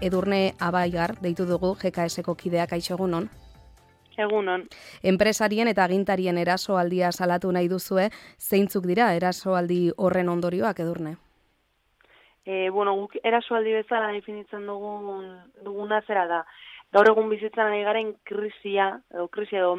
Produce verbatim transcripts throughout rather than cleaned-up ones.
Edurne Abaigar deitu dugu G K S-ko kideak. Kaixo, egunon. Egunon. Enpresarien eta agintarien erasoaldia salatu nahi duzue, zeintzuk dira erasoaldi horren ondorioak, Edurne? E, bueno, guk erasoaldi bezala definitzen dugun, duguna zera da. Gaur egun bizitzan ari garen krisia, edo krisia edo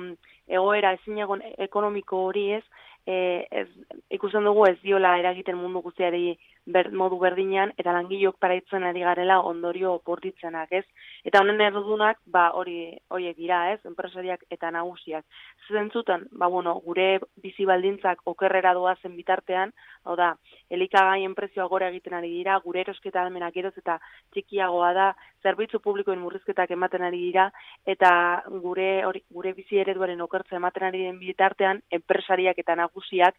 egoera ezinegon ekonomiko hori ez, e, ez, ikusten dugu ez diola eragiten mundu guztiari ber, modu berdinean, eta langilok paraitzen ari garela ondorio bortitzenak, ez? Eta honen erdunak, ba, hori horiek dira, ez? Enpresariak eta nagusiak. Zentzutan, ba, bueno, gure bizi baldintzak okerrera doazen bitartean, hau da, elikagaien prezioa gora egiten ari dira, gure erosketa ahalmenak geroz eta txikiagoa da, zerbitzu publikoen murrizketak ematen ari dira, eta gure hori, gure bizi ereduaren okertza ematen ari den bitartean, enpresariak eta nagusiak,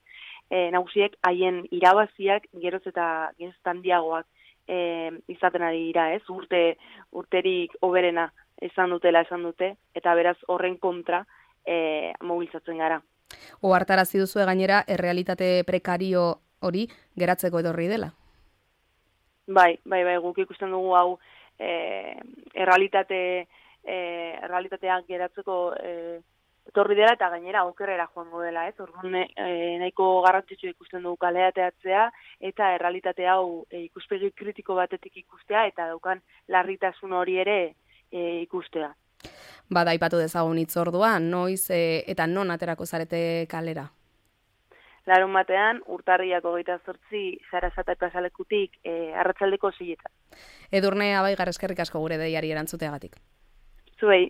e, nagusiek haien irabaziak geroz eta geroz eta handiagoak e, izaten ari dira, ez? Urte, urterik hoberena esan dutela esan dute, eta beraz horren kontra e, mobilizatzen gara. Ohartarazi duzue gainera, errealitate prekario hori geratzeko edorri dela? Bai, bai, bai, guk ikusten dugu hau e, errealitate, e, errealitateak geratzeko e, etorri dela eta gainera okerrera joango dela, ez? Orduan e, nahiko garrantzitsu ikusten dugu kaleateatzea eta errealitate hau e, ikuspegi kritiko batetik ikustea eta daukan larritasun hori ere e, ikustea. Bada, aipatu dezagun hitzordua, noiz e, eta non aterako zarete kalera? Larun batean, urtarriak hogeita zortzi Sarasate plazalekutik e, arratsaldeko seieta. Edurne Abaigar, eskerrik asko gure deiari erantzuteagatik. Zuei.